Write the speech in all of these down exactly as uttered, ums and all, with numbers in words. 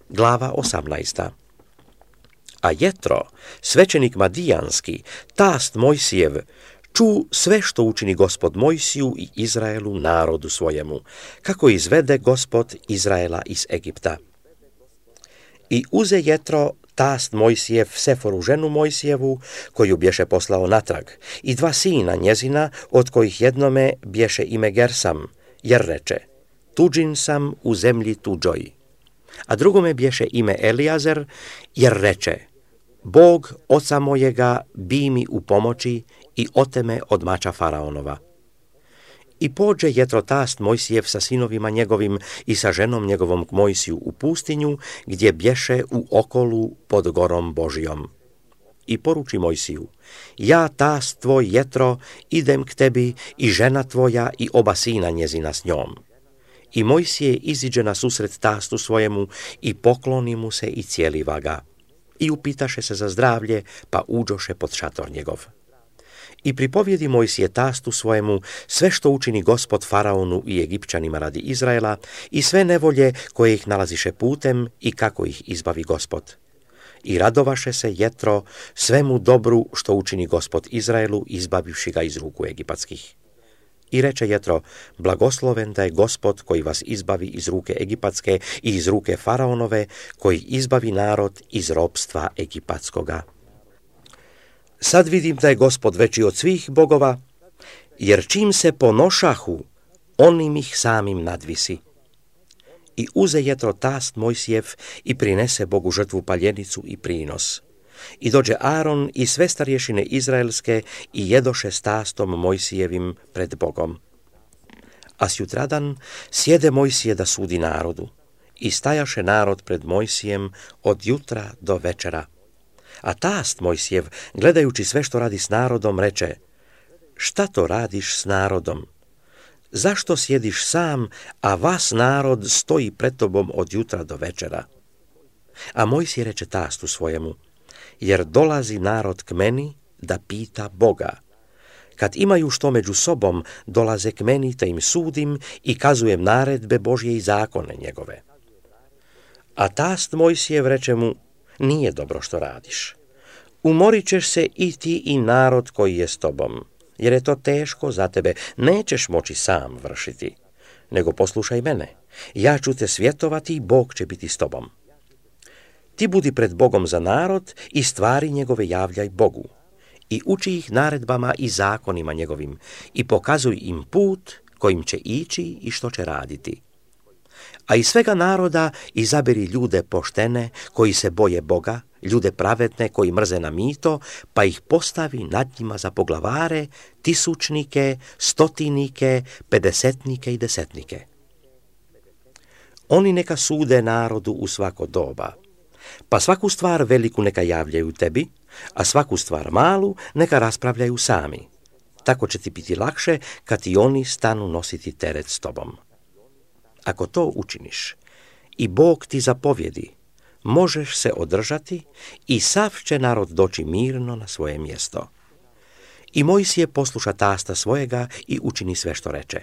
Glava osamnaesta. A Jetro, svećenik Madijanski, tast Mojsijev, ču sve što učini Gospod Mojsiju i Izraelu, narodu svojemu, kako izvede Gospod Izraela iz Egipta. I uze Jetro, tast Mojsijev, Seforu ženu Mojsijevu, koju bješe poslao natrag, i dva sina njezina, od kojih jednome bješe ime Gersam, jer reče, tuđin sam u zemlji tuđoj. A drugome bješe ime Elijazer, jer reče, Bog oca mojega bi mi u pomoći i oteme od mača faraonova. I pođe Jetro tast Mojsijev sa sinovima njegovim i sa ženom njegovom k Mojsiju u pustinju, gdje bješe u okolu pod gorom Božijom. I poruči Mojsiju, ja tast tvoj Jetro idem k tebi i žena tvoja i oba sina njezina s njom. I Mojsije iziđe na susret tastu svojemu i pokloni mu se i cijeliva ga. I upitaše se za zdravlje, pa uđoše pod šator njegov. I pripovjedi Mojsije tastu svojemu sve što učini Gospod faraonu i Egipćanima radi Izraela i sve nevolje koje ih nalaziše putem i kako ih izbavi Gospod. I radovaše se Jetro svemu dobru što učini Gospod Izraelu, izbavivši ga iz ruku egipatskih. I reče Jetro, blagosloven da je Gospod koji vas izbavi iz ruke egipatske i iz ruke faraonove, koji izbavi narod iz ropstva egipatskoga. Sad vidim da je Gospod veći od svih bogova, jer čim se ponošahu, onim ih samim nadvisi. I uze Jetro tast Mojsijev i prinese Bogu žrtvu paljenicu i prinos. I dođe Aaron i sve starješine izraelske i jedoše s tastom Mojsijevim pred Bogom. A sjutradan sjede Mojsije da sudi narodu. I stajaše narod pred Mojsijem od jutra do večera. A tast Mojsijev, gledajući sve što radi s narodom, reče, šta to radiš s narodom? Zašto sjediš sam, a vas narod stoji pred tobom od jutra do večera? A Mojsije reče tastu svojemu, jer dolazi narod k meni da pita Boga. Kad imaju što među sobom, dolaze k meni te im sudim i kazujem naredbe Božje i zakone njegove. A tast Mojsijev reče mu, nije dobro što radiš. Umorit ćeš se i ti i narod koji je s tobom, jer je to teško za tebe, nećeš moći sam vršiti, nego poslušaj mene, ja ću te svjetovati i Bog će biti s tobom. Ti budi pred Bogom za narod i stvari njegove javljaj Bogu i uči ih naredbama i zakonima njegovim i pokazuj im put kojim će ići i što će raditi. A iz svega naroda izaberi ljude poštene koji se boje Boga, ljude pravedne koji mrze na mito, pa ih postavi nad njima za poglavare, tisućnike, stotinike, pedesetnike i desetnike. Oni neka sude narodu u svako doba, pa svaku stvar veliku neka javljaju tebi, a svaku stvar malu neka raspravljaju sami. Tako će ti biti lakše kad i oni stanu nositi teret s tobom. Ako to učiniš i Bog ti zapovjedi, možeš se održati i sav će narod doći mirno na svoje mjesto. I Mojsije posluša tasta svojega i učini sve što reče.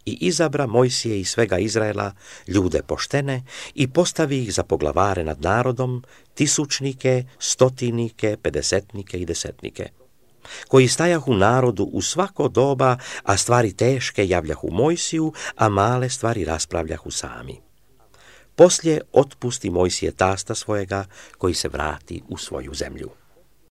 I izabra Mojsije i svega Izraela ljude poštene i postavi ih za poglavare nad narodom, tisućnike, stotinike, pedesetnike i desetnike, koji stajahu narodu u svako doba, a stvari teške javljahu Mojsiju, a male stvari raspravljahu sami. Poslije otpusti Mojsije tasta svojega, koji se vrati u svoju zemlju.